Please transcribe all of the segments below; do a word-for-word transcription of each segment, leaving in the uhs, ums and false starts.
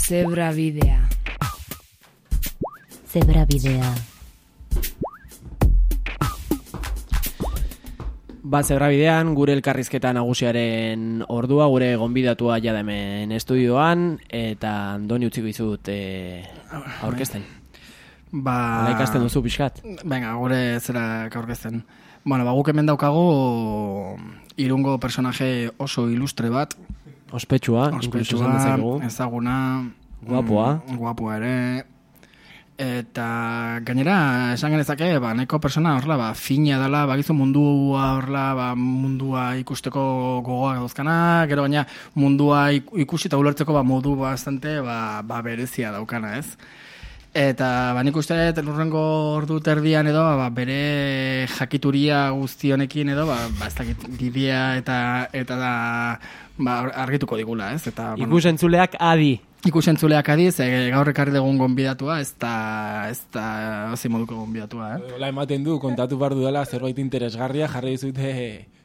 Zebrabidea. Zebrabidea. Ba, Zebrabidean, gure elkarrizketa nagusiaren ordua, gure gonbidatua jada hemen estudioan, eta Andoni utziko izut e, aurkezten. Ba... Hala ikasten duzu pixkat? Venga, gure zera aurkezten. Bueno, ba, guk hemen daukagu Irungo personaje oso ilustre bat. Ospetsua, Ospetsua, ezaguna. Guapoa. Mm, guapoa ere. Eta gainera, esan genezake, ba, neko persona horrela, ba, fina dela, bagizu mundua horrela, ba, mundua ikusteko gogoak dauzkana, gero baina mundua ikusi eta ulertzeko ba, modu bastante ba, ba, berezia daukana, ez? Eta ba, nik uste lurrengo ordu terdian edo, ba, bere jakituria guzti honekin edo, ba, ba ez dakit bidea eta, eta da, ba, argituko digula, ez? Eta, bueno, ikusentzuleak adi. Ikusentzuleak adiz, e, gaur ekarri dugun gonbidatua, ez da, ez da, ozi moduko gonbidatua, eh? Hola ematen du, kontatu behar dudala zerbait interesgarria, jarri dizute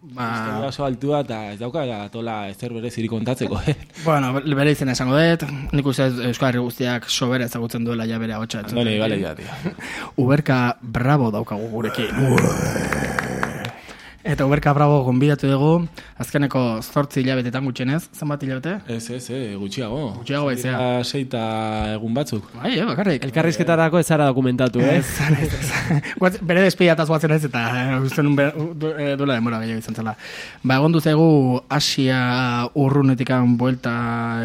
ba... historia oso altua, eta ez dauka tola ezer bereziri kontatzeko, eh? Bueno, bere izena esango dut, nik uste Euskal Herri guztiak sobera ezagutzen duela ja bere ahotsa. Andoni, bale, ja, tio. Uberka Bravo daukagu gurekin. Eta Uberka Bravo gonbidatu dugu, azkeneko zortzi hilabetetan gutxenez, zenbat hilabete? Ez, ez, eh, gutxiago. Gutxiago baizea. Seita egun batzuk. Bai, eh, bakarrik. Elkarrizketarako ez zara dokumentatu, eh? Ez, ez, ez. Bere despidataz guatzen ez, eta usten duela demora gehiago izan zela. Ba, egon duzegu Asia urrunetikan buelta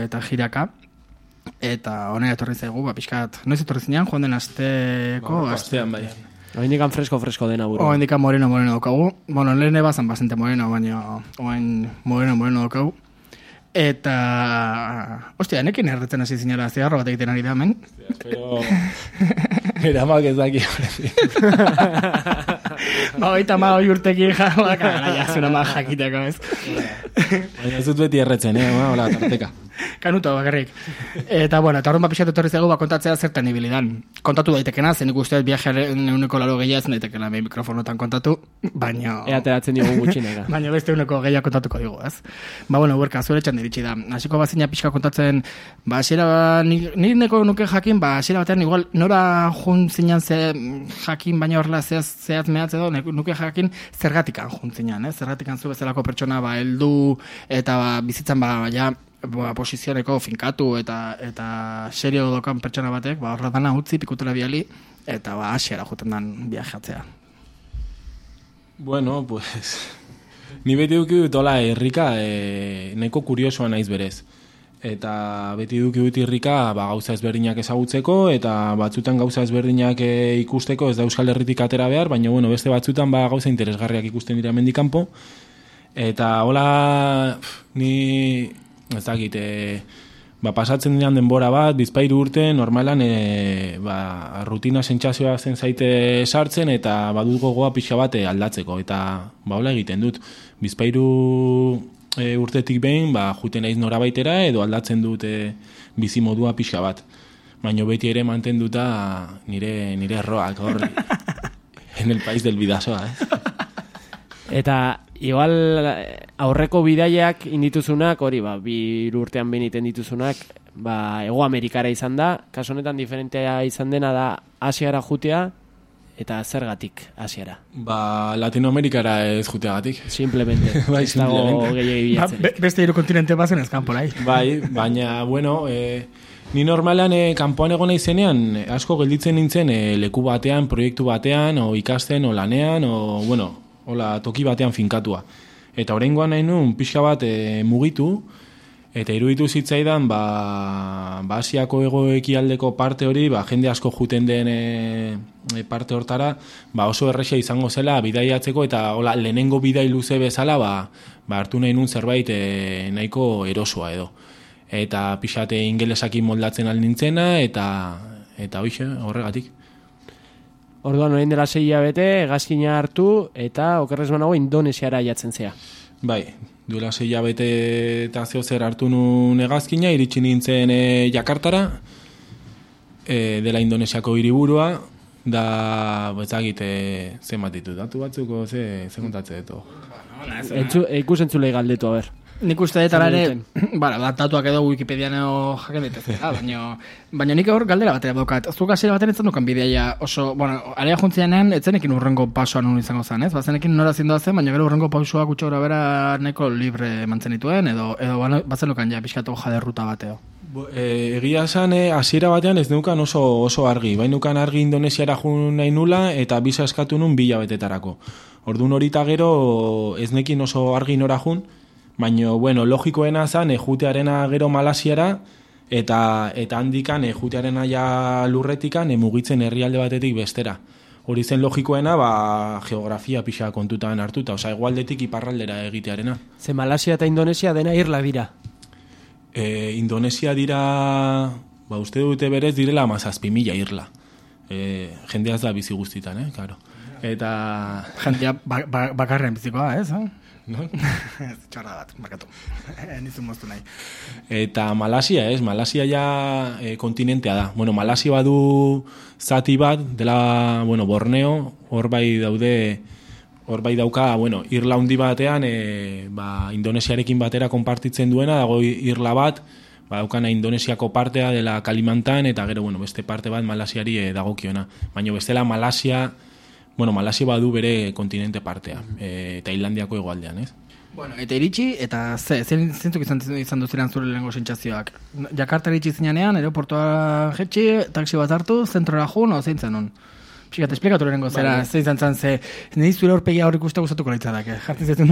eta jiraka, eta honera etorri zaigu, ba, pixkat, noiz etorri zinean, joan den asteko... Ba, astean, bai. Oindikan fresko-fresko dena buru. Oindikan moreno-moreno daukagu. Bueno, lehen ebazan bastante moreno, baina oain moreno-moreno daukagu. Eta... Ostia, nekin erretzen hasi zinela zigarro bat egiten ari da, men? Pero... Eramak ez daki. Ba, oita ma hoi urtekin jauak, gara, jasuna ma jakiteko, ez? Baina ez dut beti erretzen, eh? Hola, tarteka. Kanuto, bakarrik. Eta, bueno, eta horren bat pixatu etorri zego, ba, kontatzea zertan ibilidan. Kontatu daitekena, zen ikusten viajearen euneko laro gehiaz, daitekena behin mikrofonotan kontatu, baina... Ea ateratzen diogu gutxineka. Baina beste euneko gehiak kontatuko digu, ez? Ba, bueno, Uberka, zure txan diritsi da. Hasiko bazina pixka kontatzen, ba, asiera, ni neko nuke jakin, ba, asiera batean, igual, nora jun zinan ze jakin, baina horrela zehaz, zehaz mehatz edo, nuke jakin zergatikan jun zinan, ez? Zergatikan zu bezalako pertsona, ba, heldu, eta ba, bizitzan, ba, ja, ba, posizioneko finkatu eta eta serio dokan pertsona batek, ba, horra dana utzi, pikutela biali, eta ba, asiara juten dan viajatzea. Bueno, pues... Ni beti duki dut hola irrika, e, neko kuriosoa naiz berez. Eta beti duki dut irrika ba, gauza ezberdinak ezagutzeko, eta batzutan gauza ezberdinak e, ikusteko, ez da Euskal Herritik atera behar, baina bueno, beste batzutan ba, gauza interesgarriak ikusten dira mendikanpo. Eta hola, ni... Ez dakit, e, ba, pasatzen dinan denbora bat, bizpairu urte, normalan e, ba, rutina sentsazioa zen zaite sartzen, eta badut gogoa pixa bat aldatzeko, eta ba, hola egiten dut. Bizpairu e, urtetik behin, ba, juten naiz norabaitera, edo aldatzen dut e, bizimodua pixa bat. Baina beti ere mantenduta nire, nire erroak, hor, en el país del bidasoa, eh? Eta... Igual aurreko bidaiak indituzunak, hori, ba, bi urtean beniten dituzunak, ba, Hego Amerikara izan da, kasu honetan diferentea izan dena da Asiara jutea, eta zergatik Asiara? Ba, Latinoamerikara ez juteagatik. Simplemente. Bai, ez dago gehiagi bilatzen. Ba, beste hiru kontinente bazen ez kanporai. Bai, baina, bueno, e, ni normalan e, kanpoan egon izenean, asko gelditzen nintzen e, leku batean, proiektu batean, o ikasten, o lanean, o, bueno, hola, toki batean finkatua. Eta oraingoan nahi nun, pixka bat e, mugitu, eta iruditu zitzaidan, ba, ba Asiako egoekialdeko parte hori, ba, jende asko juten den e, parte hortara, ba, oso erresa izango zela bidaiatzeko, eta hola, lehenengo bidai luze bezala, ba, ba hartu nahi nun zerbait e, nahiko erosoa edo. Eta pixate ingelesakin moldatzen alnintzena, eta, eta hoxe, horregatik. Orduan, orain dela sei hilabete, hegazkina hartu, eta okerrez banago Indonesiara jatzen zea. Bai, duela sei hilabete eta zeo zer hartu nun hegazkina, iritsi nintzen e, Jakartara, e, dela Indonesiako hiriburua, da, bezagit, e, zen bat ditu, datu batzuko, ze, ze kontatze ditu. Ikus entzulei galdetu, a ber. nik uste dut ala ere, bara, datuak edo Wikipedian jaken ditez, baina, baina nik hor galdera batera daukat. Zuk hasiera batean etzen dukan bideia oso, bueno, area juntzianean etzenekin urrengo pasoan nun izango zen, ez? Bazenekin nora zindoa zen, baina gero urrengo pausoa gutxo gora bera nahiko libre mantzen dituen, edo, edo bazen dukan ja pixkatu jaderruta bateo. E, egia esan, hasiera batean ez neukan oso, oso argi. Bain neukan argi Indonesiara jun nahi nula eta bisa eskatu nun bila betetarako. Orduan horita gero ez nekin oso argi nora jun, baina, bueno, logikoena zen ejutearena gero Malasiara eta eta handikan ejutearena ja lurretikan mugitzen herrialde batetik bestera. Hori zen logikoena, ba, geografia pixa kontutan hartuta, osea, hegoaldetik iparraldera egitearena. Ze Malasia eta Indonesia dena irla dira. E, Indonesia dira, ba, uste dute berez direla amazazpi mila irla. E, jendeaz da bizi guztitan, eh, karo. Eta... Jendea ba, ba, bakarren bizikoa, ez? Eh? No? Txarra bat, bakatu. Nizun moztu nahi. Eta Malasia, ez? Malasia ja e, kontinentea da. Bueno, Malasia badu zati bat, dela, bueno, Borneo, hor bai daude... Hor bai dauka, bueno, irla handi batean, e, ba, Indonesiarekin batera konpartitzen duena, dago irla bat, ba, daukana Indonesiako partea dela Kalimantan, eta gero, bueno, beste parte bat Malasiari e, dagokiona. Baina bestela Malasia, bueno, Malasia badu bere kontinente partea, e, eta Islandiako hegoaldean, ez? Bueno, eta iritsi, eta ze, zentzuk izan, izan duzilean zure lehenko sentsazioak? Jakarta iritsi zinean, aeroportua jetxi, taxi bat hartu, zentrora jun, o zein zen hon? Pixkat, esplikatu lehenko zera, ze izan zan, ze nire zure horpegia horrik uste gustatuko leitzadak, eh? Jartzen zetun,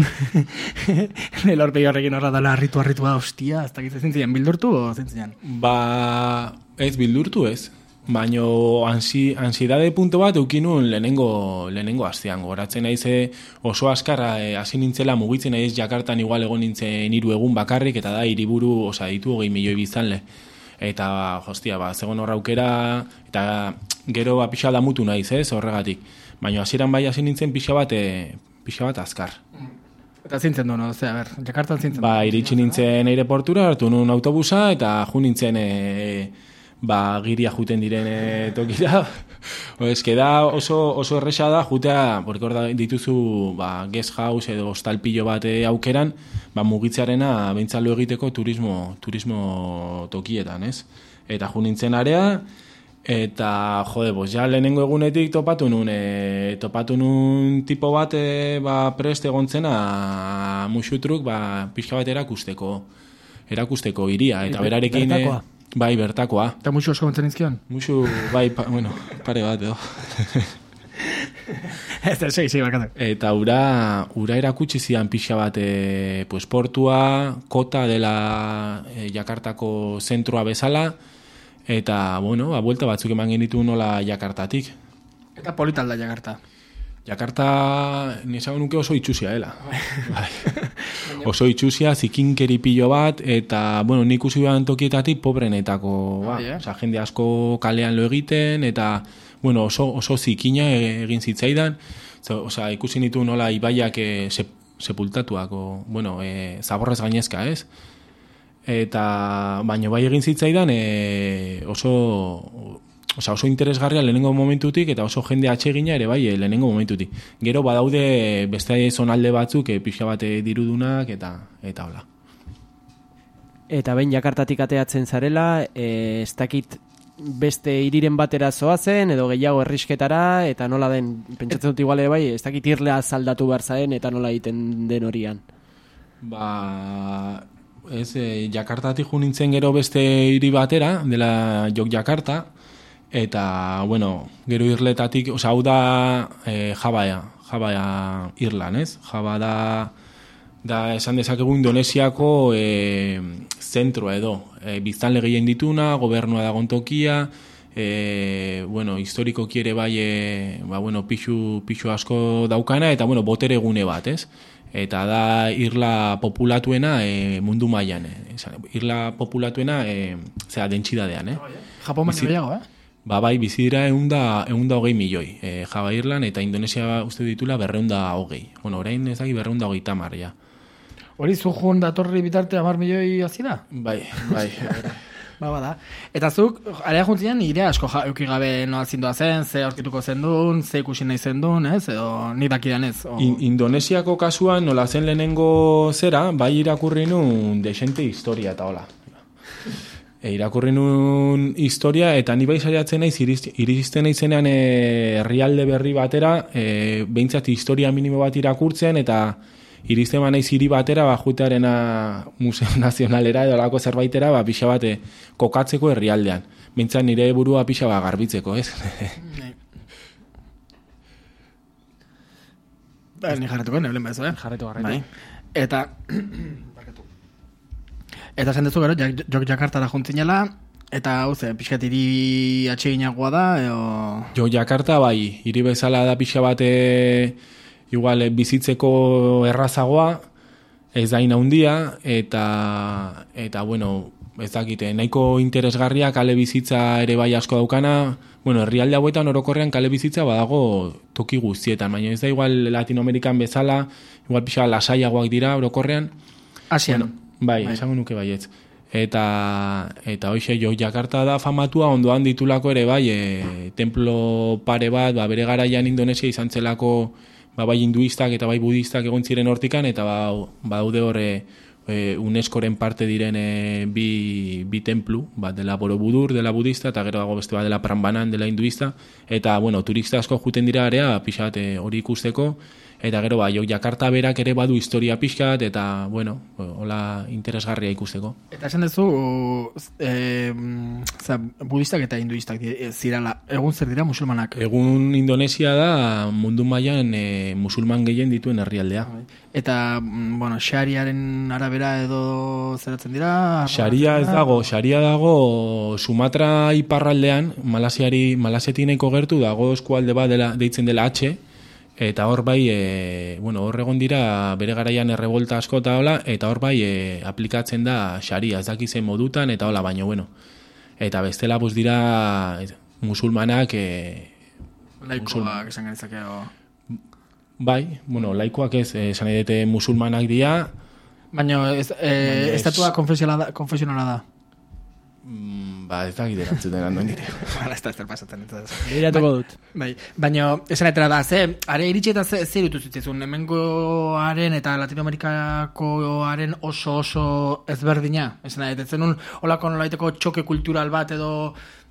nire horpegia horrekin horra dala harritu harritua, hostia, ez dakit zein zinean, bildurtu o zein zinean? Ba, ez bildurtu ez, baina ansi, ansiedade punto bat eukinun lehenengo, lehenengo astean, goratzen naize oso askarra, hasi e, nintzela mugitzen naiz Jakartan igual egon nintzen hiru egun bakarrik, eta da hiriburu, osa, ditu hogei milioi biztanle. Eta, hostia, ba, zegoen horra aukera, eta gero ba, pixa da mutu naiz, ez, horregatik. Baina hasieran bai hasi nintzen pixa bat, e, pixa bat azkar. Eta zintzen du, no? Ose, a ber, Jakartan zintzen du. Ba, iritsi nintzen aireportura, hartu nun autobusa, eta ju nintzen, e, ba, giria juten diren e, tokira. Ez da oso, oso erresa da, jutea, porque hor da dituzu, ba, guest house edo hostalpillo bat e, aukeran, ba, mugitzearena behintzalo egiteko turismo, turismo tokietan, ez? Eta ju nintzen area, eta, jode, bos, ja lehenengo egunetik topatu nun, e, topatu nun tipo bat, e, ba, prest egontzena musutruk, ba, pixka bat erakusteko, erakusteko iria, eta berarekin... Bertakoa. Bai, bertakoa. Eta musu osko gontzen izkion? Musu, bai, pa, bueno, pare bat, edo. Ez da, segi, segi, bakatu. Eta ura, ura erakutsi zian pixa bat, e, pues, portua, kota dela e, Jakartako zentroa bezala, eta, bueno, a buelta batzuk eman genitu nola Jakartatik. Eta politalda Jakarta. Jakarta, nisago nuke oso itxusia, dela. Bai. Oso itxusia, zikinkeri pilo bat, eta, bueno, nik usi behan tokietatik pobrenetako, ba, yeah. Osa, jende asko kalean lo egiten, eta, bueno, oso, oso zikina egin zitzaidan, osa, ikusi nitu nola ibaiak e, sep, sepultatuak, o, bueno, e, zaborrez gainezka, ez? Eta, baino bai egin zitzaidan, e, oso... Osa, oso interesgarria lehenengo momentutik eta oso jende atsegina ere bai lehenengo momentutik. Gero badaude beste zonalde batzuk e, pixa bate dirudunak eta eta hola. Eta behin Jakartatik ateatzen zarela, e, ez dakit beste hiriren batera zoazen edo gehiago herrisketara eta nola den, pentsatzen dut iguale bai, ez dakit irlea zaldatu behar zaen eta nola egiten den horian. Ba, ez, e, Jakartatik jo nintzen gero beste hiri batera, dela Yogyakarta, eta, bueno, gero irletatik, oza, hau da e, Javaia, Javaia Irlan, ez? Java da, da esan dezakegu Indonesiako e, zentroa edo, e, biztanle gehien dituna, gobernua dagon tokia, e, bueno, historikoki ere bai, e, ba, bueno, pixu, pixu asko daukana, eta, bueno, botere gune bat, ez? Eta da irla populatuena e, mundu mailan, e, irla populatuena, e, zera, dentsidadean, eh? Japon baino gehiago, eh? Ba, bai, bizi dira eunda, eunda hogei milioi. E, Java Irlan eta Indonesia uste ditula berreunda hogei. Bueno, orain ez daki berreunda hogei tamar, ja. Hori zu joan datorri bitarte amar milioi hasi da? Bai, bai. Ba, bada. Eta zuk, area juntzian, ire asko eukigabe noa zindua zen, ze aurkituko zen duen, ze ikusi nahi zen duen, ez? Edo nik dakidan ez? O... In, Indonesiako kasuan, nola zen lehenengo zera, bai irakurri nun desente historia eta hola. E, irakurri nun historia, eta ni bai saiatzen naiz, iristen naizenean herrialde berri batera, e, behintzat historia minimo bat irakurtzen, eta iristen ba naiz hiri batera, ba, jutearena Museo Nazionalera edo lako zerbaitera, ba, pixa bate kokatzeko herrialdean. Behintzat nire burua pixa ba garbitzeko, ez? Ba, ni jarretuko, neblen bezo, eh? Jarretu, jarretu. Bai. Eta... Eta esan dezu gero, jok Jakartara juntzinela, eta hau ze, pixkat hiri atseginagoa da, eo... Jo Jakarta, bai, hiri bezala da pixa bate... Igual bizitzeko errazagoa, ez da inaundia, eta, eta bueno, ez dakite, nahiko interesgarria kale bizitza ere bai asko daukana, bueno, herrialde hauetan orokorrean kale bizitza badago toki guztietan, baina ez da igual Latinoamerikan bezala, igual pixa lasaiagoak dira orokorrean. Asian. Bueno, bai, bai, esango nuke baietz. Eta, eta hoxe, jo Jakarta da famatua, ondoan ditulako ere bai, e, templo pare bat, ba, bere garaian Indonesia izan zelako, ba, bai hinduistak eta bai budistak egon ziren hortikan, eta ba, badaude horre e, UNESCOren parte diren e, bi, bi templu, bat dela Borobudur, dela budista, eta gero dago beste bat dela Prambanan, dela hinduista, eta, bueno, turista asko juten dira area, pixat hori ikusteko, eta gero, ba, jo Jakarta berak ere badu historia pixkat, eta, bueno, hola interesgarria ikusteko. Eta esan duzu, e, za, budistak eta hinduistak zirala, egun zer dira musulmanak? Egun Indonesia da mundu mailan e, musulman gehien dituen herrialdea. Eta, bueno, xariaren arabera edo zeratzen dira? Xaria ez dago, xaria dago Sumatra iparraldean, Malasiari, Malasetineko gertu dago eskualde bat dela, deitzen dela H, eta hor bai, e, bueno, hor egon dira bere garaian errebolta asko eta hola, eta hor bai e, aplikatzen da xaria, ez dakizen modutan, eta hola, baino, bueno. Eta bestela, buz dira musulmanak... E, laikoak esan gaitzakeo... Bai, bueno, laikoak ez, esan edete musulmanak dira... Baina, ez, e, estatua konfesionala da? Konfesionala da. Mm, ba, ez da giderantzuten handoen dire. Hala, ez da ez da pasatzen. Leiratuko dut. Bai, baina, esan etera da, ze, are iritsi eta ze, zer dut zitzizun, hemengoaren eta Latinoamerikakoaren oso oso ezberdina? Esan da, ez zenun, holako nolaiteko txoke kultural bat edo,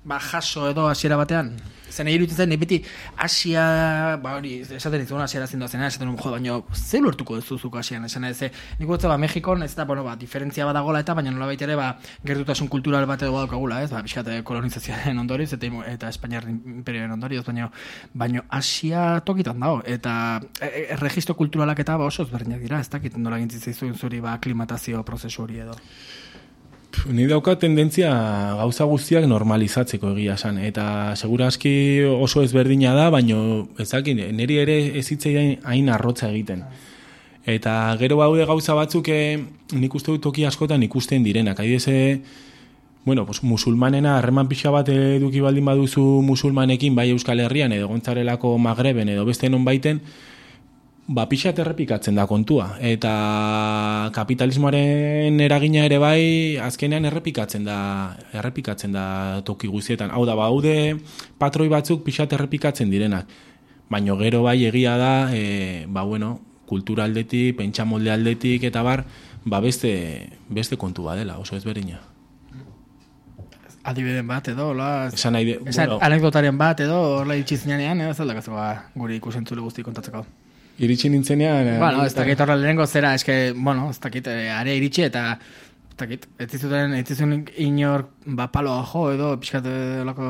ba, jaso edo hasiera batean? Zen egin zen, beti Asia, ba hori, esaten ditzen Asiara zindu zena, esaten un jo, baina ze lortuko duzuzuko Asian, esan ez, nik gutze, ba, Mexikon, ez da, bueno, ba, diferentzia badagola eta, baina nola ere, ba, gertutasun kultural bat edo badaukagula, ez, ba, pixkate kolonizazioaren ondorioz, eta, eta Espainiar imperioen ondorioz, baina, baina Asia tokitan dago, eta e, e, registro kulturalak eta ba, oso ezberdinak dira, ez dakit nola gintzitzaizuen zuri, ba, aklimatazio prozesu hori edo. Ni dauka tendentzia gauza guztiak normalizatzeko egia esan, eta segurazki oso ezberdina da, baino ezakin, niri ere ez hitzei hain arrotza egiten. Eta gero baude gauza batzuk nik uste dut toki askotan ikusten direnak. Adibidez, bueno, pues, musulmanena harreman pixa bat eduki baldin baduzu musulmanekin, bai Euskal Herrian edo gontzarelako Magreben edo beste non baiten, ba, pixat errepikatzen da kontua. Eta kapitalismoaren eragina ere bai, azkenean errepikatzen da, errepikatzen da toki guztietan. Hau da, baude patroi batzuk pixat errepikatzen direnak. Baino gero bai egia da, e, ba, bueno, kultura aldetik, pentsamolde aldetik, eta bar, ba, beste, beste kontu badela, oso ezberdina. Adibiden bat edo, hola... Esan nahi de... Esan bueno, anekdotaren bat edo, hola itxizinean, edo, ez aldakazeko guri ikusentzule guzti kontatzeko. Iritsi nintzenean... Bueno, ez dakit horra lehenengo zera, eske, bueno, ez dakit, are iritsi eta, ez dakit, ez dizuten, ez dizuten inor, ba, paloa jo, edo, pixkat, lako...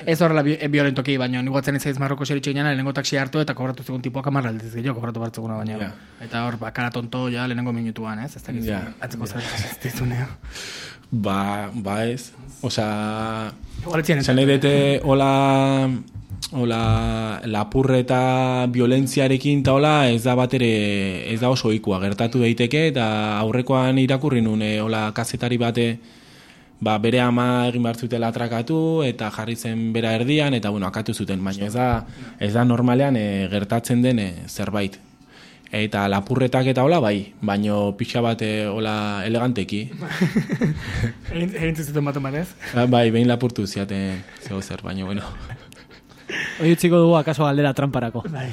Ez horrela bi, violentoki, baina niguatzen izaiz Marroko zeritxe ginean, lehenengo taksi hartu eta kobratu zegoen tipuak amarra aldiz gehiago, kobratu bartzeguna baina. Yeah. Eta hor, ba, kara tonto, ja, lehenengo minutuan, ez? Ez dakit, yeah. Atzeko yeah. Zer, ez dizuneo. Ba, ba ez. Osa, esan nahi dute, hola... Ola, lapurre eta violentziarekin eta hola, ez da bat ere, ez da oso ikua, gertatu daiteke, eta aurrekoan irakurri nun, e, hola, kazetari bate, ba, bere ama egin behar zutela atrakatu, eta jarri zen bera erdian, eta, bueno, akatu zuten, baina ez da, ez da normalean e, gertatzen den e, zerbait. Eta lapurretak eta hola bai, baino pixa bat eh, hola eleganteki. Egin zuten bat eman ez? Bai, behin lapurtu ziaten zeu zer, baino bueno. Hoi utziko dugu akaso galdera tramparako. Bai.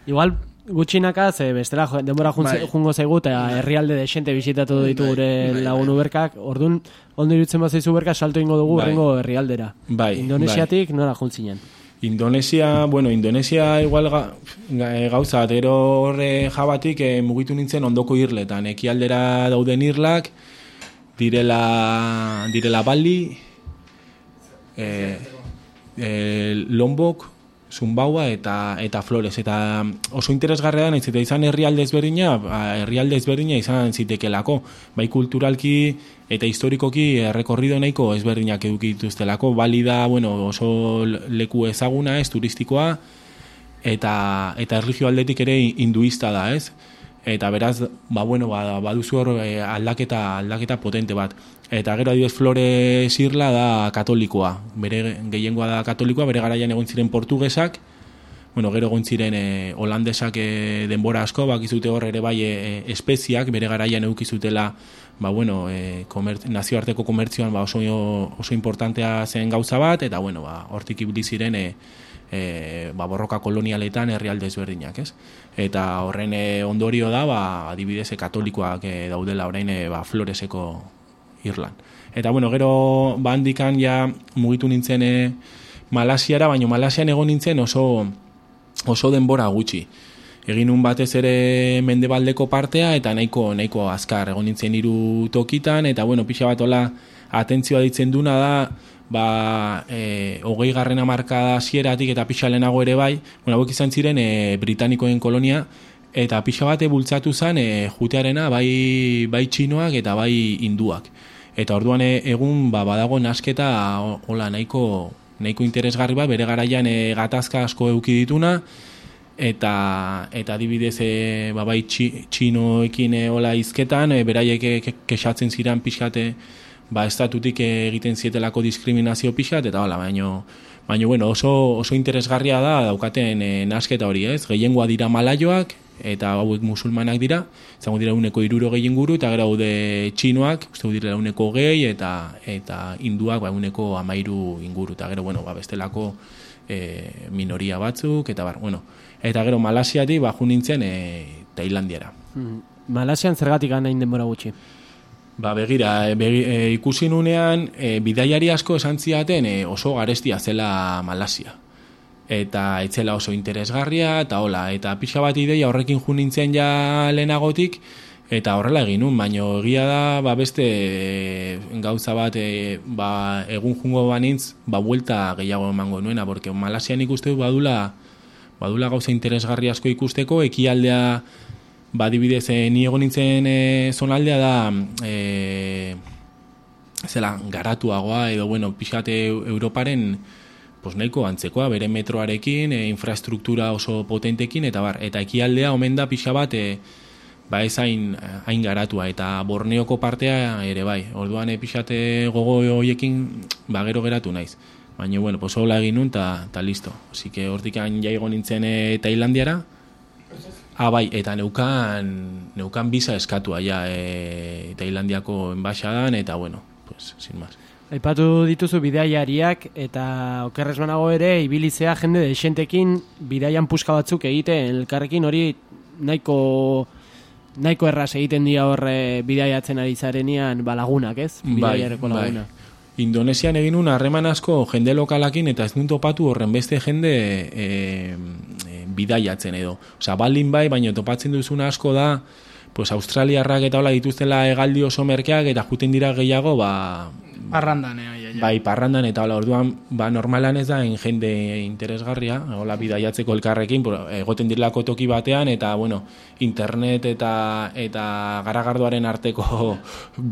Igual gutxinaka, ze bestela denbora Bai. jungo zaigu, eta herrialde desente bisitatu ditu Bai, gure bai, lagun bai. uberkak, orduan, ondo irutzen bat zaizu berka, salto ingo dugu Bai. rengo herrialdera. Bai, Indonesiatik nora juntzinen. Indonesia, bueno, Indonesia igual ga, ga, gauza, gero horre jabatik eh, mugitu nintzen ondoko irletan. Ekialdera dauden irlak, direla, direla Bali, eh, eh, Lombok, Sumbaua eta eta Flores. Eta oso interesgarria da, nahiz eta izan herrialde ezberdina, herrialde ezberdina izan zitekelako. Bai kulturalki eta historikoki errekorrido nahiko ezberdinak eduki dituztelako. Bali da, bueno, oso leku ezaguna, ez, turistikoa, eta eta erlijio aldetik ere hinduista da, ez? Eta beraz, ba, bueno, ba, baduzu hor eh, aldaketa, aldaketa potente bat. Eta gero adibidez Flores irla da katolikoa. Bere gehiengoa da katolikoa, bere garaian egon ziren portugesak, bueno, gero egon ziren e, holandesak e, denbora asko, bakizute hor ere bai e, espeziak, bere garaian eukizutela, ba, bueno, e, komer, nazioarteko komertzioan ba, oso, oso importantea zen gauza bat, eta bueno, ba, hortik ibili ziren e, e, ba, borroka kolonialetan herrialde ezberdinak, ez? Eta horren e, ondorio da, ba, adibidez, e, katolikoak e, daudela orain e, ba, Floreseko Irlan. Eta bueno, gero bandikan ja mugitu nintzen e, Malasiara, baina Malasian egon nintzen oso oso denbora gutxi. Egin un batez ere mendebaldeko partea eta nahiko nahiko azkar egon nintzen hiru tokitan, eta bueno, pixa bat hola atentzioa ditzen duna da, ba, e, hogei garren hamarkada hasieratik eta pixa lehenago ere bai, bueno, hauek izan ziren e, britanikoen kolonia, eta pixa bate bultzatu zen e, jutearena bai, bai txinoak eta bai hinduak. Eta orduan e, egun ba, badago nasketa hola nahiko, nahiko interesgarri bat, bere garaian e, gatazka asko eduki dituna, eta eta adibidez e, ba, bai txi, txinoekin e, hola izketan, e, beraiek e, kexatzen ziren pixkate ba, estatutik egiten zietelako diskriminazio pixkat, eta hola, baino, baino bueno, oso, oso interesgarria da daukaten e, nasketa hori, ez? Gehiengoa dira malaioak, eta hauek musulmanak dira, izango dira uneko iruro gehien guru, eta gara haude txinoak, uste dira uneko gehi, eta eta hinduak ba, uneko amairu inguru, eta gero, bueno, ba, bestelako e, minoria batzuk, eta bar, bueno, eta gero Malasiatik ba, ju nintzen e, Tailandiara. Hmm. Malasian zergatik hain denbora gutxi? Ba, begira, e, begi, e, ikusi nunean, e, bidaiari asko esan ziaten e, oso garestia zela Malasia. Eta etzela oso interesgarria, eta hola, eta pixa bat ideia horrekin ju nintzen ja lehenagotik, eta horrela egin nun, baina egia da, ba beste e, gauza bat, e, ba, egun jungo banintz, ba buelta gehiago emango nuena, porque Malasian ikuste du badula, badula gauza interesgarri asko ikusteko, ekialdea, ba adibidez, e, ni egon nintzen e, zonaldea da, e, zela, garatuagoa, edo, bueno, pixate Europaren, pues nahiko antzekoa, bere metroarekin, e, infrastruktura oso potentekin, eta bar, eta ekialdea omen da pixa bat, e, ba ez hain, hain garatua, eta Borneoko partea ere bai, orduan e, pixate gogo hoiekin, ba gero geratu naiz. Baina, bueno, pues hola egin nun, eta ta listo. Osí que hortik jaigo nintzen e, Tailandiara, ah, bai, eta neukan, neukan biza eskatua, ja, e, Tailandiako enbaixadan, eta bueno, pues, sin más. Aipatu dituzu bidaiariak, eta okerrez banago ere, ibilizea jende desentekin bidaian puska batzuk egiten, elkarrekin hori nahiko, nahiko erraz egiten dira horre bidaiatzen ari zarenean ba, lagunak, ez? Bidaiareko laguna. Bai. Indonesian egin un harreman asko jende lokalakin, eta ez dut topatu horren beste jende e, e, bidaiatzen edo. Osa, baldin bai, baina topatzen duzuna asko da, pues australiarrak eta hola dituztela hegaldi oso merkeak, eta juten dira gehiago, ba, Parrandan, eh, ja, ja. Bai, parrandan, eta hola, orduan, ba, normalan ez da, en jende interesgarria, hola, bidaiatzeko elkarrekin, egoten direlako toki batean, eta, bueno, internet eta eta garagardoaren arteko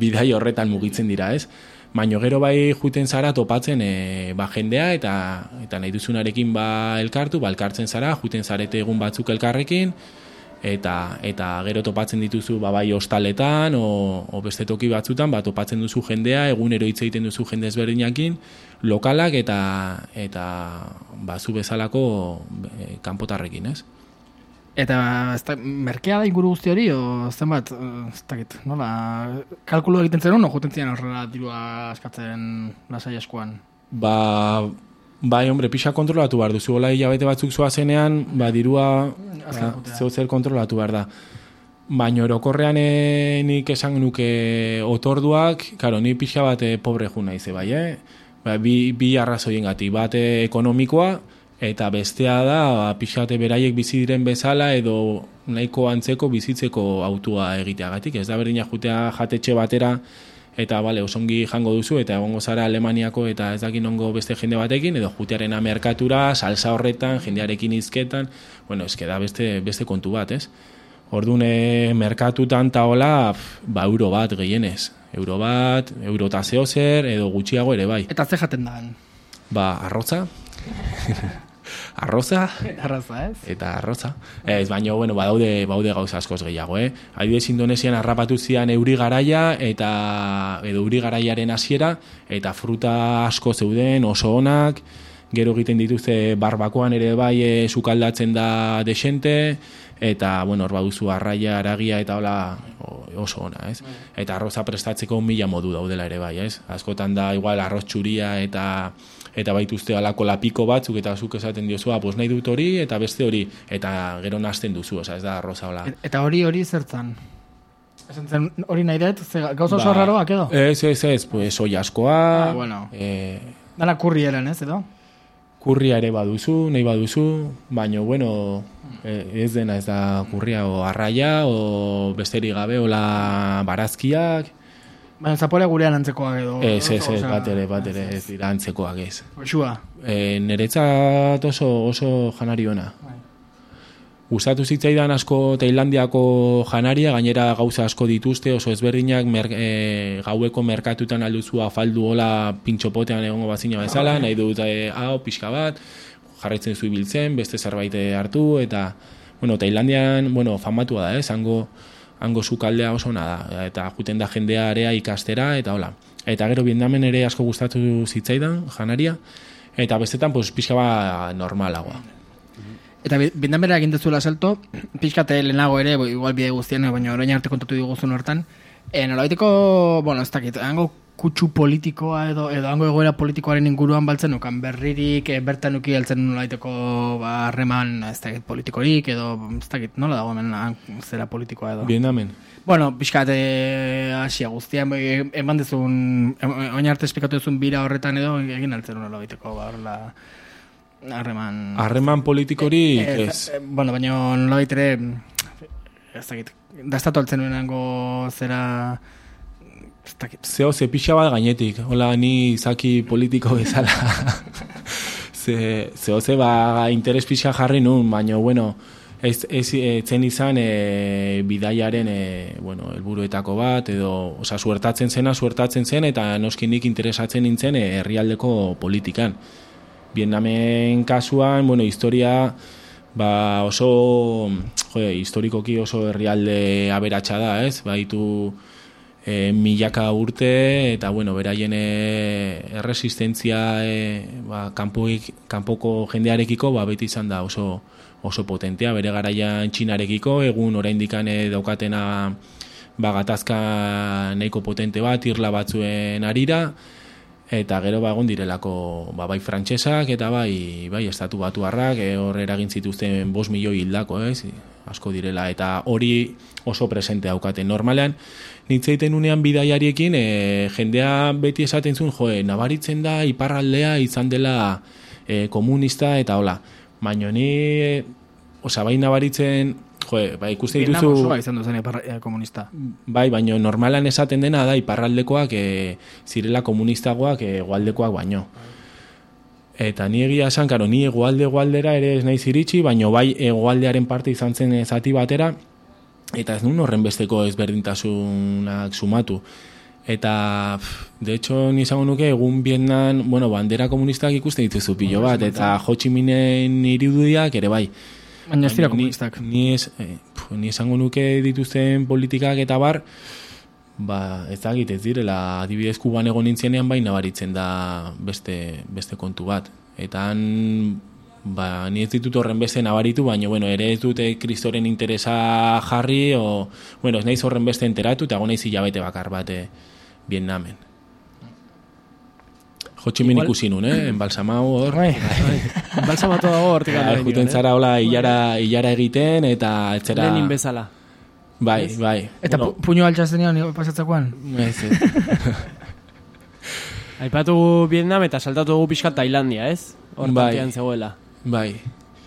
bidai horretan mugitzen dira, ez? Baina gero bai juten zara topatzen e, ba, jendea, eta eta nahi duzunarekin ba, elkartu, ba, elkartzen zara, juten zarete egun batzuk elkarrekin, eta eta gero topatzen dituzu ba, bai hostaletan o, o beste toki batzutan ba, topatzen duzu jendea, egunero hitz egiten duzu jende ezberdinakin, lokalak eta eta ba, zu bezalako e, kanpotarrekin, ez? Eta ez da, merkea da inguru guzti hori, o zenbat, ez dakit, nola, kalkulu egiten zen no, juten ziren horrela dirua askatzen lasai askoan? Ba, bai, hombre, pixa kontrolatu behar duzu, hola hilabete batzuk zoazenean, ba, dirua ba, zeu zer kontrolatu behar da. Baina orokorrean e, nik esan nuke otorduak, karo, ni pixa bat e, pobre ju naize, bai, eh? Ba, bi, bi arrazoien gati, bat e, ekonomikoa, eta bestea da, ba, pixate beraiek bizi diren bezala edo nahiko antzeko bizitzeko autua egiteagatik. Ez da berdina jutea jatetxe batera eta bale, osongi jango duzu eta egongo zara Alemaniako eta ez dakin ongo beste jende batekin edo jutearena merkatura, salsa horretan, jendearekin izketan, bueno, eske da beste, beste kontu bat, ez? Orduan, e, merkatutan taola, ba, euro bat gehienez. Euro bat, euro eta zehozer, edo gutxiago ere bai. Eta ze jaten da? Ba, arroza. Arroza. Arroza, ez? Eta arroza. Ez, baina, bueno, badaude, baude gauza askoz gehiago, eh? Adibidez, Indonesian harrapatu zian euri garaia, eta, edo euri garaiaren hasiera, eta fruta asko zeuden, oso onak, gero egiten dituzte barbakoan ere bai e, sukaldatzen da desente, eta, bueno, hor baduzu arraia, aragia, eta hola oso ona, ez? Eta arroza prestatzeko mila modu daudela ere bai, ez? Askotan da, igual, arroz txuria eta eta baituzte alako lapiko batzuk, eta zuk esaten diozua, pues nahi dut hori, eta beste hori, eta gero nazten duzu, oza, ez da arroza hola. Eta hori hori zertzan? Esan zen hori nahi dut, gauza oso raroak edo? Ez, ez, ez, pues soi askoa. Ah, bueno. Eh, Dala kurri eran, ez edo? Kurria ere baduzu, nahi baduzu, baino, bueno, ez dena ez da kurria, o arraia, o besterik gabe, ola barazkiak. Baina zapore gurean antzekoak edo? Ez, ez, ez, bat ere, bat ere, ez dira antzekoak ez. Oxua? E, Niretzat oso, oso janari ona. Gustatu zitzaidan asko Tailandiako janaria, gainera gauza asko dituzte, oso ezberdinak mer, e, gaueko merkatutan alduzu afaldu hola pintxopotean egongo bazina bezala, nahi dut e, hau, pixka bat, jarraitzen zu ibiltzen, beste zerbait hartu, eta, bueno, Tailandian, bueno, famatua da, eh, zango, hango sukaldea oso ona da, eta juten da jendea area ikastera, eta hola. Eta gero Vietnamen ere asko gustatu zitzaidan, janaria, eta bestetan, pues, pixka bat normalagoa. Eta Vietnamera egin dezuela salto, pixkate lehenago ere, igual bide guztien, baina orain arte kontatu diguzun hortan, e, nolabaiteko, bueno, ez dakit, hango kutsu politikoa edo, edo hango egoera politikoaren inguruan baltzen nukan berririk, e, bertan nuki heltzen nolabaiteko harreman, ez dakit, politikorik, edo, ez dakit, nola dago hemen zera politikoa edo? Vietnamen. Bueno, pixkate asia guztian, eman dezun, orain arte esplikatu dezun bira horretan edo, egin altzen nolabaiteko, ba, horrela... Harreman... Harreman politikorik, ez. ez. Eh, bueno, baina nolabait ere, ez dakit, dastatu altzen nuenango zera... Ez dakit. Zeo, ze pixa bat gainetik, hola, ni izaki politiko bezala. ze, zeo, ze, ba, interes pixa jarri nun, baina, bueno, ez, ez zen izan e, bidaiaren, e, bueno, helburuetako bat, edo, oza, suertatzen zena, suertatzen zen, eta noskinik interesatzen nintzen e, herrialdeko politikan. Vietnamen kasuan, bueno, historia ba oso, jode, historikoki oso herrialde aberatsa da, ez? Baitu e, milaka urte eta bueno, beraien erresistentzia e, ba, kanpoik, kanpoko jendearekiko ba beti izan da oso oso potentea, bere garaian Txinarekiko, egun oraindikan daukatena ba gatazka nahiko potente bat irla batzuen arira. Eta gero ba egon direlako ba, bai frantsesak eta bai bai estatu batuarrak e, hor eragin zituzten bost milioi hildako, ez? Asko direla eta hori oso presente daukaten. Normalean nitzeiten unean bidaiariekin e, jendea beti esaten zuen, jo, nabaritzen da iparraldea izan dela e, komunista eta hola. Baina ni e, osea bai nabaritzen jo, bai ikusten dituzu Vietnam osoa izan duzen ipar, e, komunista. Bai, baina normalan esaten dena da iparraldekoak e, zirela komunistagoak hegoaldekoak baino. Eta ni egia esan, karo, ni hegoalde hegoaldera ere ez naiz iritsi, baina bai hegoaldearen parte izan zen zati batera, eta ez nun horren besteko ezberdintasunak sumatu. Eta, de hecho, ni izango nuke, egun Vietnam, bueno, bandera komunistak ikusten dituzu pilo bat, eta Ho Chi Minen irudiak ere bai. Baina ez dira komunistak. Ni, ni, es, eh, ni esango nuke dituzten politikak eta bar, ba, ez da ez direla, adibidez Kuban egon nintzenean bai nabaritzen da beste, beste kontu bat. Eta han, ba, ni ez ditut horren beste nabaritu, baina, bueno, ere ez dute kristoren interesa jarri, o, bueno, ez naiz horren beste enteratu, eta gonaiz hilabete bakar bate Vietnamen. Ho Chi Minh ikusi nun, eh? Enbalsamau hor. Bai, bai. Enbalsamatu dago hortik alde. Juten zara hola hilara, hilara egiten, eta etzera... Lenin bezala. Bai, bai. Eta bueno, puño altxazenean pasatzakoan? Ez, ez. Aipatu Vietnam eta saltatu dugu pixka Tailandia, ez? Hor bai, tantean zegoela. Bai.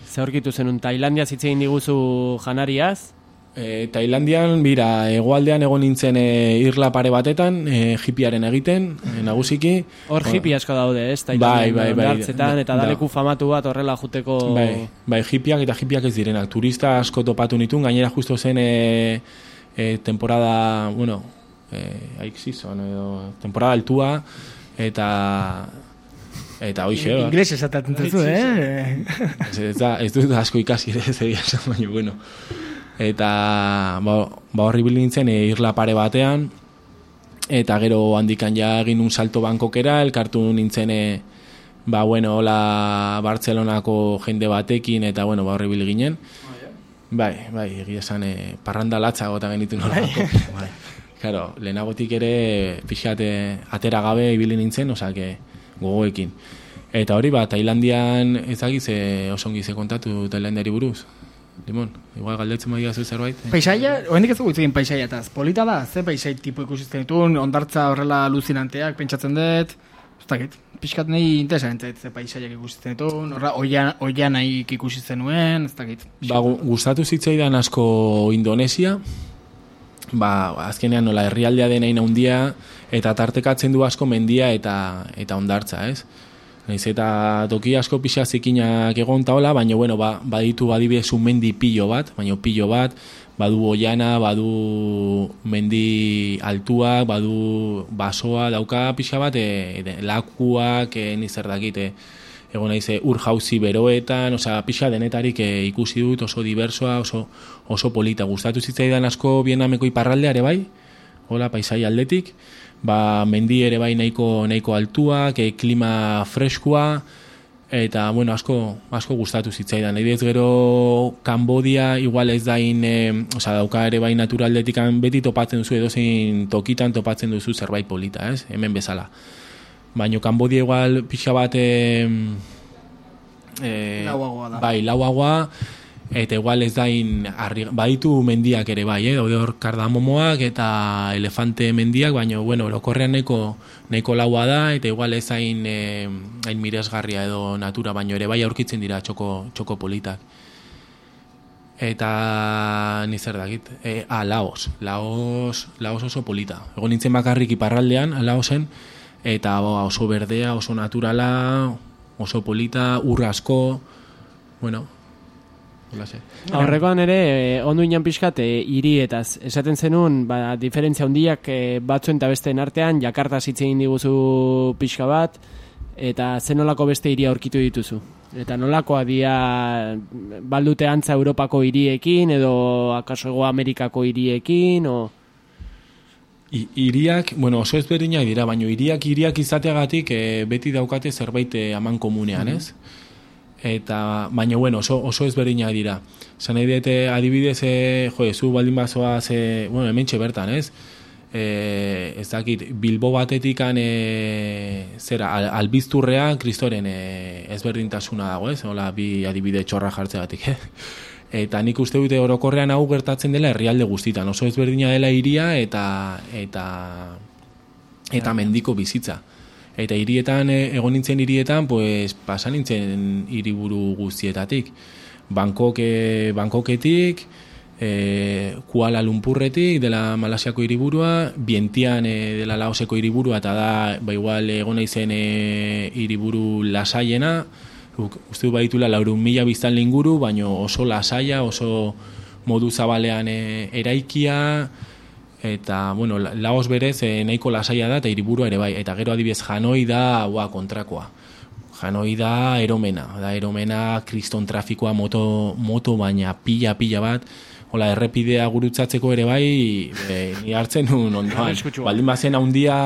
Ze horkitu zenun, Tailandia zitzein diguzu janariaz? E, Tailandian, bira, hegoaldean egon nintzen e, irla pare batetan, e, hipiaren egiten, e, nagusiki. Hor hipi asko daude, ez? Tailandian, bai, bai, bai, hartzetan, eta daleku da. Famatu bat horrela juteko... Bai, bai, hipiak eta hipiak ez direnak. Turista asko topatu nituen, gainera justo zen e, e, temporada, bueno, e, haik season, edo, temporada altua, eta... Eta hoxe, ba. Ingles esaten duzu, eh? Ez, ez, da, ez dut asko ikasi ere, ez egia esan, baina, bueno... Eta ba, ba horri bilintzen e, irla pare batean, eta gero handikan ja egin un salto Bangkokera, elkartu nintzen e, ba bueno, hola Bartzelonako jende batekin, eta bueno, ba horri bil ginen. Oh, yeah. Bai, bai, egia esan e, parranda latza gota genitu nolako. Bai. Claro, lehenagotik ere pixat atera gabe ibili nintzen, osea, gogoekin. Eta hori, ba, Tailandian ezagiz e, osongi ze kontatu Tailandiari buruz. Limon, igual galdetzen madia zu zerbait. Paisaia, oendik ez dugu itzegin paisaiataz. Polita da, ze paisai tipo ikusizten ditun, ondartza horrela aluzinanteak pentsatzen dut. Ez dakit, pixkat nahi interesantzait ze paisaiak ikusizten ditun, horra oian, oian nahi ikusizten nuen, ez dakit. Ba, gustatu zitzaidan asko Indonesia, ba, azkenean nola herrialdea denain handia, eta tartekatzen du asko mendia eta eta ondartza, ez? Naiz eta toki asko pixa zikinak egon taola, baina bueno, ba, baditu adibidez un mendi pilo bat, baina pilo bat, badu oiana, badu mendi altuak, badu basoa, dauka pixa bat, e, e, lakuak, e, nizer dakit, e, egon naiz ur jauzi beroetan, osea, pixa denetarik e, ikusi dut, oso diversoa, oso, oso polita. Gustatu zitzaidan asko Vietnameko iparraldeare bai, hola, paisai aldetik, ba, mendi ere bai nahiko, nahiko altuak, e, klima freskua, eta, bueno, asko, asko gustatu zitzaidan. Nahi gero Kambodia igual ez dain, e, oza, dauka ere bai naturaldetikan beti topatzen duzu, edozein tokitan topatzen duzu zerbait polita, ez? Hemen bezala. Baina Kambodia igual pixa bat, e, e, lauagoa da. Bai, lauagoa, eta igual ez dain, arri, baditu mendiak ere bai, eh? Daude hor kardamomoak eta elefante mendiak, baina, bueno, orokorrean nahiko, nahiko laua da, eta igual ez hain, eh, hain miresgarria edo natura, baina ere bai aurkitzen dira txoko, txoko politak. Eta nizer dakit, e, ah, Laos, Laos, Laos oso polita. Egon nintzen bakarrik iparraldean, Laosen, eta ba, oso berdea, oso naturala, oso polita, ur asko, bueno, Aurrekoan ere, eh, ondo inan pixkat, eh, hirietaz. Esaten zenun, ba, diferentzia handiak eh, batzuen eta besteen artean, Jakarta zitzen diguzu pixka bat, eta zenolako beste hiria aurkitu dituzu. Eta nolakoa dia baldute antza Europako hiriekin, edo akaso Hego Amerikako hiriekin, o... I, iriak, bueno, oso ezberdinak dira, baina hiriak hiriak izateagatik eh, beti daukate zerbait eh, aman komunean, mm-hmm. ez? Eta, baina, bueno, oso, oso ezberdinak dira. Zan nahi dute, adibidez, e, jo, zu baldin bazoa, ze, bueno, hemen bertan, ez? E, ez dakit, Bilbo batetikan, e, zera, al, albizturrean, kristoren e, ezberdintasuna dago, ez? Hola, bi adibide txorra jartzegatik, eh? Eta nik uste dute orokorrean hau gertatzen dela herrialde guztitan. Oso ezberdina dela hiria eta, eta, eta mendiko bizitza. Eta hirietan, egon nintzen hirietan, pues, pasan nintzen hiriburu guztietatik. Bangkok, eh, Bangkoketik, eh, Kuala Lumpurretik, dela Malasiako hiriburua, Vientian eh, dela Laoseko hiriburua, eta da, ba, igual, egon naizen eh, hiriburu lasaiena, uste du baitula laurehun mila biztanle inguru, baina oso lasaia, oso modu zabalean eh, eraikia, eta, bueno, Laos berez eh, nahiko lasaia da, eta hiriburua ere bai. Eta gero adibidez Hanoi da, ua, kontrakoa. Hanoi da eromena, da eromena kriston trafikoa moto, moto baina pila-pila bat, hola errepidea gurutzatzeko ere bai, e, ni hartzen nun ondoan. Baldin bazen handia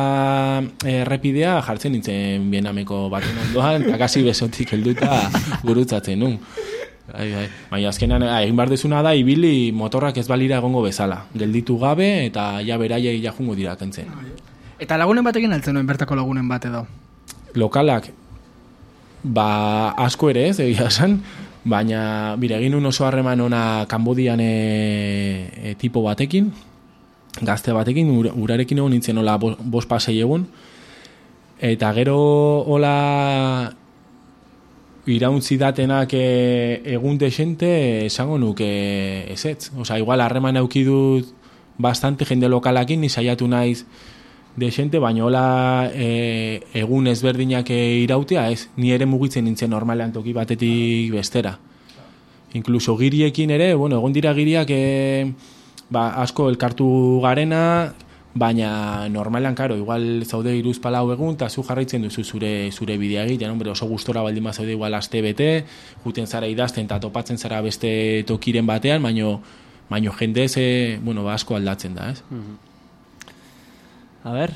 errepidea jartzen nintzen bienameko baten ondoan, eta kasi besotik helduta gurutzatzen nun. Bai, bai. Baina azkenan egin behar dezuna da, ibili motorrak ez balira egongo bezala. Gelditu gabe eta ja beraiei ja jungo dira kentzen. Eta lagunen batekin altzen nuen bertako lagunen bat edo? Lokalak, ba asko ere ez, egia esan, baina bire, egin un oso harreman ona Kambodian e, e, tipo batekin, gazte batekin, ur, urarekin egon nintzen hola bost pasei egun, eta gero hola irauntzi datenak e, egun desente esango nuke ezetz. Osa, igual harreman auki dut bastante jende lokalakin, ni saiatu naiz desente, baina hola e, egun ezberdinak irautea, ez, ni ere mugitzen nintzen normalean toki batetik bestera. Inkluso giriekin ere, bueno, egon dira giriak e, ba, asko elkartu garena, baina normalean, karo, igual zaude iruz palau egun, eta zu jarraitzen duzu zure zure bidea egiten, hombre, oso gustora baldin bazaude igual aste bete, juten zara idazten eta topatzen zara beste tokiren batean, baino, baino jendez, e, bueno, ba, asko aldatzen da, ez? Mm-hmm. A ver.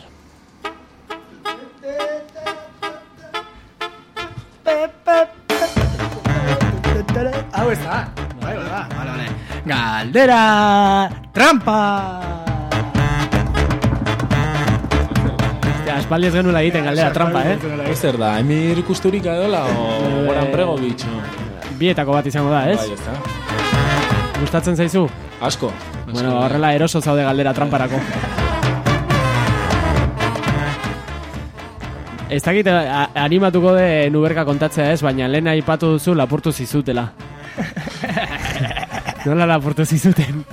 Hau ez da. Bai, bai, bai. Vale, vale. Galdera trampa. Hostia, espaldi ez genuela egiten galdera trampa, eh? Ez zer da, Emir Kusturika edola o Goran Bregovic? Bietako bat izango da, ez? Bai, ez da. Gustatzen zaizu? Asko. Bueno, horrela eroso zaude galdera tramparako. Ez dakit animatuko de Nuberka kontatzea ez, baina lehen aipatu duzu lapurtu zizutela. Nola lapurtu zizuten?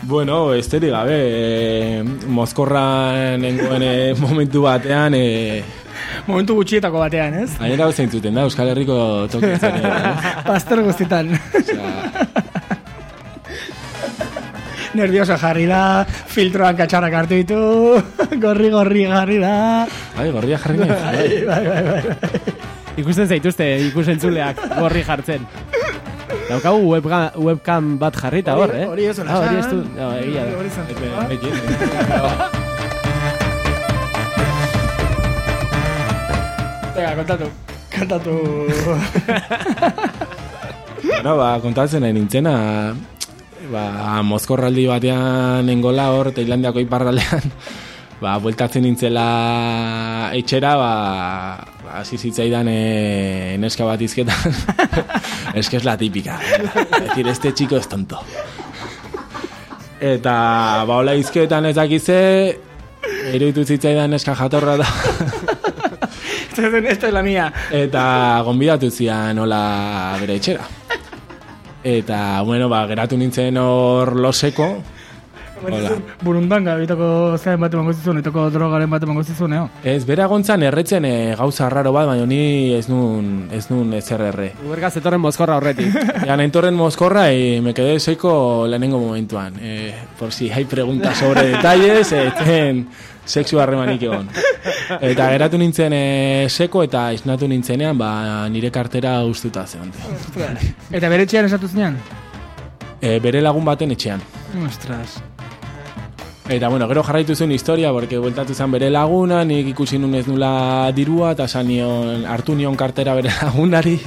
Bueno, esteri gabe, e, Mozkorran nengoen e, momentu batean... E, momentu gutxietako batean, ez? Gainera hau zeintzuten da, Euskal Herriko tokitzen. Pastor guztitan. Nervioso jarri da, filtroan katxarrak hartu ditu, gorri-gorri jarri da. Bai, gorria jarri nahi. Bai, bai, bai, bai. Ikusten zaituzte, ikusentzuleak gorri jartzen. Daukagu webcam, webcam bat jarrita hor, eh? Hori ez, ah, hori ez du, no, egia da. Hori zantzua. Venga, kontatu. Kontatu. Bueno, ba, kontatzen nahi nintzena... Ba, Mozkorraldi batean nengola hor, Tailandiako iparraldean, ba, bueltatzen nintzela etxera, ba, ba, zizitzaidan e, neska bat izketan. Es que es la típica. Es decir, este chico es tonto. Eta, ba, hola izketan ez dakize, eruditu zitzaidan neska jatorra da. Esta es la mía. Eta, gonbidatu zian hola bere etxera. Eta, bueno, ba, geratu nintzen hor loseko. Burundanga, bitoko zein bat emango zizun, etoko drogaren bat emango zizun, eo? Ez, bera gontzan erretzen e, gauza raro bat, baina ni ez nun, ez nun ezer erre. Uberka zetorren Mozkorra horretik. Ya, nentorren Mozkorra y me quedé seco lehenengo momentuan. Eh, por si hay preguntas sobre detalles, eten sexu harremanik egon. Eta geratu nintzen e, seko eta isnatu nintzenean, ba, nire kartera ustuta zeon. Eta bere etxean esatu zinean? E, bere lagun baten etxean. Ostras. Eta, bueno, gero jarraitu zuen historia, porque bueltatu zen bere laguna, nik ikusi nun ez nula dirua, eta sanion, hartu nion kartera bere lagunari,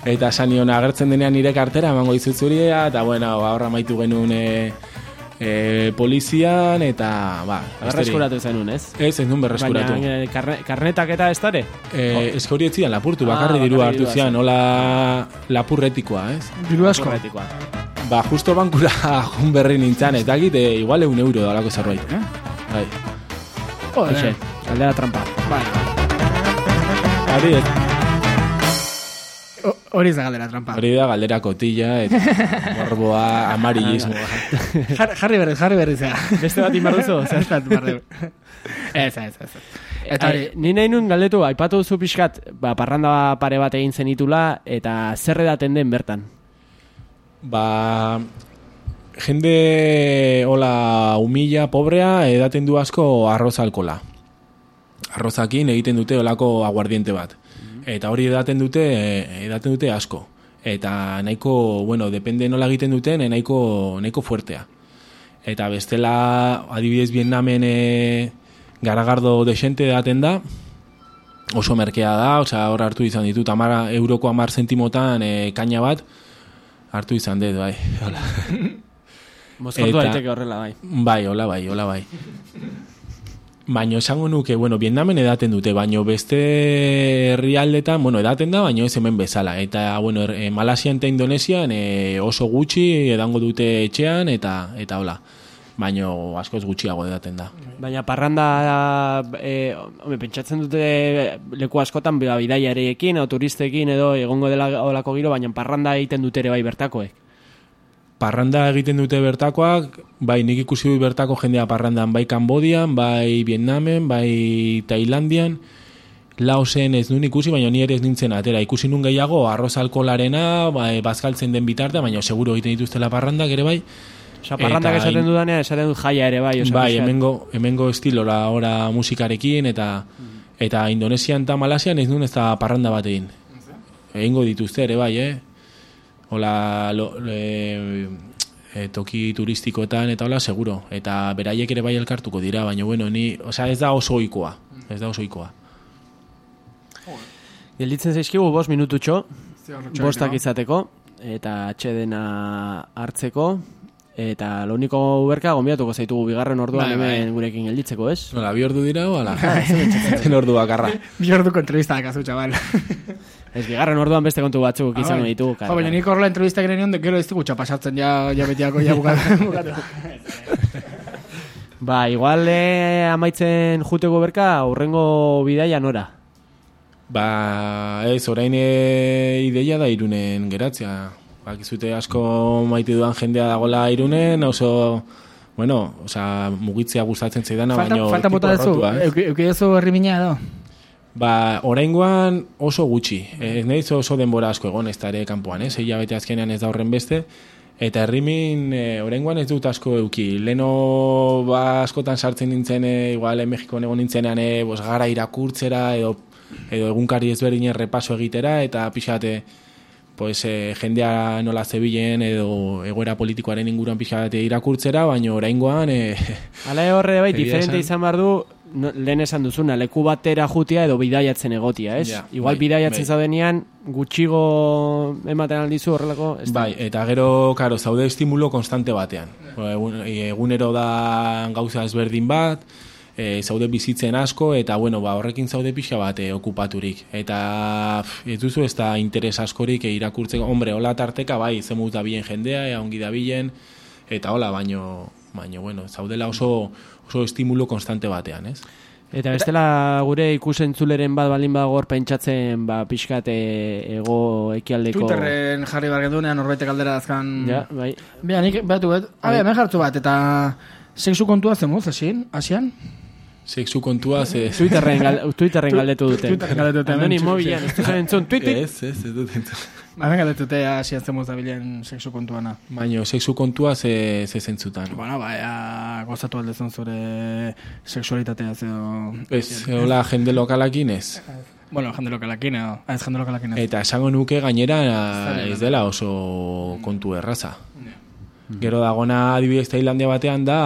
eta sanion agertzen denean nire kartera, emango dizut zuria, eta, bueno, horra maitu genuen e, e, polizian, eta, ba... Berreskuratu zenun, ez? Ez, ez nun berreskuratu. Baina, karne, karnetak eta ez dare? E, oh. Ez hori etzian lapurtu, bakarri ah, dirua hartu zian, hola lapurretikoa, ez? Diru asko? Lapurretikoa. Ba, justo bankura jun berri nintzen, ez dakit, e, igual eun euro dalako zerbait, eh? Bai. Joder, galdera trampa. Bai. Hori, hori ez da galdera trampa. Hori da galdera kotilla, eta morboa, amarillismoa. Jar, jarri berriz, jarri berriz, ja. Beste bat inbarduzu? Ez bat inbarduzu. Ez, ez, ez. Eta e, ni nahi nun galdetu, aipatu duzu pixkat, ba, parranda pare bat egin zenitula, eta zer edaten den bertan? Ba, jende hola humila, pobrea, edaten du asko arroz alkola. Arrozakin egiten dute olako aguardiente bat. Eta hori edaten dute, edaten dute asko. eta nahiko, bueno, depende nola egiten duten, nahiko, nahiko fuertea. Eta bestela, adibidez Vietnamen e, garagardo desente daten da, oso merkea da, osea, hor hartu izan ditut, amara, euroko amar zentimotan e, kaina bat, hartu izan dut, bai. Mozkortu daiteke horrela, bai. Bai, hola bai, hola bai. Baina esango nuke, bueno, Vietnamen edaten dute, baina beste herrialdetan, bueno, edaten da, baina ez hemen bezala. Eta, bueno, er, Malasian eta Indonesian e, oso gutxi edango dute etxean, eta eta hola. Baina askoz gutxiago edaten da. Baina parranda, e, home, pentsatzen dute leku askotan bidaiarekin, o turistekin edo egongo dela olako giro, baina parranda egiten dute ere bai bertakoek. Parranda egiten dute bertakoak, bai nik ikusi dut bertako jendea parrandan, bai Kambodian, bai Vietnamen, bai Tailandian, Laosen ez nuen ikusi, baina ni ere ez nintzen atera. Ikusi nun gehiago arroz alkoholarena, bai, bazkaltzen den bitarte, baina seguro egiten dituztela parrandak ere bai. Osa, parrandak esaten in... dudanean, esaten dut jaia ere bai. Osa, bai, hemengo, hemengo estilora ora musikarekin, eta mm. eta Indonesian eta Malasian ez nuen ez da parranda bat egin. Egingo dituzte ere bai, eh? Hola, lo, le, e, toki turistikoetan eta hola, seguro. Eta beraiek ere bai elkartuko dira, baina bueno, ni, osea, ez da oso ohikoa. Ez da oso ohikoa. Gelditzen zaizkigu bost minututxo, bostak izateko, eta atxedena hartzeko, eta lo único uberka gombiatuko zaitugu bigarren orduan bai, hemen bai. Gurekin gelditzeko, ez? Nola, bi ordu dira o ala? Zen ordu bakarra. Bi orduko entrevista dakazu, txabal. Ez bigarren orduan beste kontu batzuk izango ah, ditugu. Jo, baina nik horrela entrevista gire nion, gero ez dugu txapasatzen ja, ja betiako, ja bukatu. Ba, igual eh, amaitzen juteko berka, aurrengo bidaia nora? Ba, ez, orain e, ideia da Irunen geratzea. Bakizute asko maite dudan jendea dagola Irunen, oso, bueno, oza, mugitzea gustatzen zaidana, falta, baino... Falta bota dezu, euki dezu herri mina edo? Ba, oraingoan oso gutxi. Ez nahiz oso denbora asko egon ez da ere kanpoan, ez? Egia bete azkenean ez da horren beste. Eta herrimin e, oraingoan ez dut asko euki. Leno ba, askotan sartzen nintzen, e, igual, Mexikon egon nintzenean, e, bos, gara irakurtzera, edo, edo egunkari ezberdinen repaso egitera, eta pixate, pues, e, jendea nola zebilen, edo egoera politikoaren inguruan pixate irakurtzera, baina oraingoan... E, Hala horre bai, diferente izan behar du, no, lehen esan duzuna, leku batera jutia edo bidaiatzen egotia, ez? Ja, igual bai, bidaiatzen bai. Zaudenean, gutxigo ematen aldizu horrelako... Bai, eta gero, karo, zaude estimulo konstante batean. Egun, egunero da gauza ezberdin bat, e, zaude bizitzen asko, eta bueno, ba, horrekin zaude pixa bat e, okupaturik. Eta pff, ez duzu ez da interes askorik e, irakurtzeko, hombre, hola tarteka, bai, zemut da bilen jendea, e, ongi da bilen, eta hola, baino, baino, bueno, zaudela oso... oso estimulo konstante batean, ez? Eta bestela gure ikusentzuleren bat balin bagor pentsatzen ba, pixkat ego ekialdeko... Twitterren jarri bargendunean norbaitek aldera azkan... Ja, bai. Bea, nik batu bat, abe, hemen jartu bat, eta sexu kontua zemuz, hasian? Hasian? Sexu kontua ze... Twitterren, gal, Twitterren galdetu dute. Twitterren galdetu dute. Andoni mobilan, ez duzen entzun, Twitter? Ez, ez, ez dut entzun. Hemen galdetu dute hasian zemuz da bilen sexu kontuana. Baina, sexu kontua ze, ze zentzutan. Bueno, bai, gozatu aldezun zure sexualitatea zeo... Ez, hola, jende lokalakin ez. Bueno, jende lokalakin edo, ez jende lokalakin ez. Eta esango nuke gainera ez dela oso kontu erraza. Gero dagona adibidez Tailandia batean da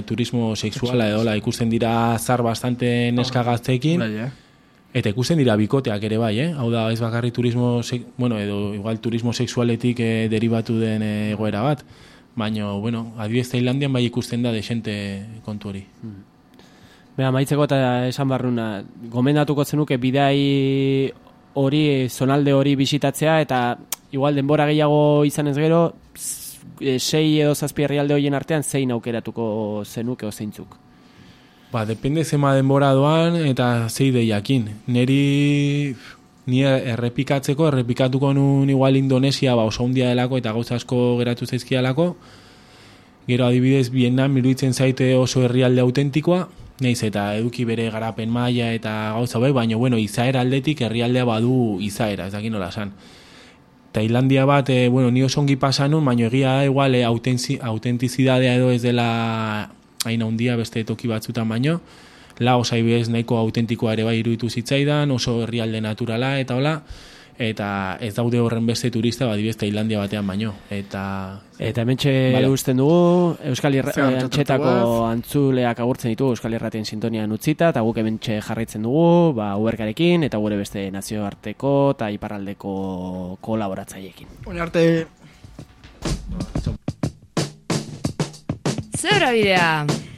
turismo sexuala edo la ikusten dira zar bastante neska gazteekin. Eta ikusten dira bikoteak ere bai, eh? Hau da, ez bakarri turismo, bueno, edo igual turismo sexualetik eh, derivatu den eh, egoera bat. Baina, bueno, adibidez Tailandian bai ikusten da desente kontu hori. Bea, maitzeko eta esan barruna, gomendatuko zenuke bidai hori, zonalde hori bisitatzea, eta igual denbora gehiago izan ez gero, sei edo zazpi herrialde horien artean zein aukeratuko zenuke o zeintzuk? Ba, depende zema denbora doan eta zei deiakin. Neri ni errepikatzeko, errepikatuko nun igual Indonesia ba, oso hundia delako eta gauza asko geratu zaizkialako. Gero adibidez Vietnam iruditzen zaite oso herrialde autentikoa, naiz eta eduki bere garapen maila eta gauza bai, baina bueno, izaera aldetik herrialdea badu izaera, ez dakit nola esan. Tailandia bat, e, bueno, ni oso ongi pasanun, baina egia da igual e, autentizidadea edo ez dela hain handia beste toki batzutan baino. Laos aibez nahiko autentikoa ere bai iruditu zitzaidan, oso herrialde naturala eta hola. eta ez daude horren beste turista, badibez Tailandia batean baino. Eta Eta hementxe vale. Usten dugu, Euskal Irratiko antzuleak agurtzen ditu Euskal Irratien sintonian utzita, eta guk hementxe jarraitzen dugu, ba, uberkarekin, eta gure beste nazioarteko eta iparraldeko kolaboratzaileekin. Une arte... Zebra bidea!